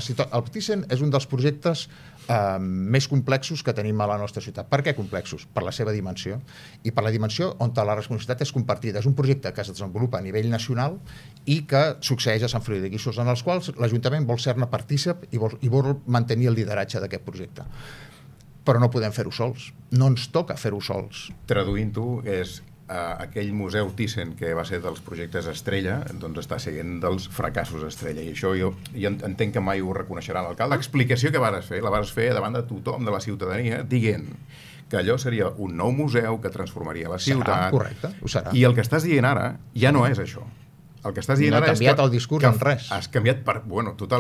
El Thyssen és un dels projectes més complexos que tenim a la nostra ciutat. Per què complexos? Per la seva dimensió i per la dimensió on la responsabilitat és compartida. És un projecte que es desenvolupa a nivell nacional i que succeeix a Sant Feliu de Guíxols, en els quals l'Ajuntament vol ser-ne partícip i vol mantenir el lideratge d'aquest projecte. Però no podem fer-ho sols. No ens toca fer-ho sols. Traduint-ho, és aquell museu Thyssen que va ser dels projectes estrella, doncs està sent dels fracassos estrella, i això jo entenc que mai ho reconeixerà l'alcalde. L'explicació que vas fer, la vas fer davant de tothom, de la ciutadania, dient que allò seria un nou museu que transformaria la ciutat. Serà, correcte, ho serà. I el que estàs dient ara ja no és això. El que estàs dient ara és que no ha canviat el discurs en res. Has canviat totalment.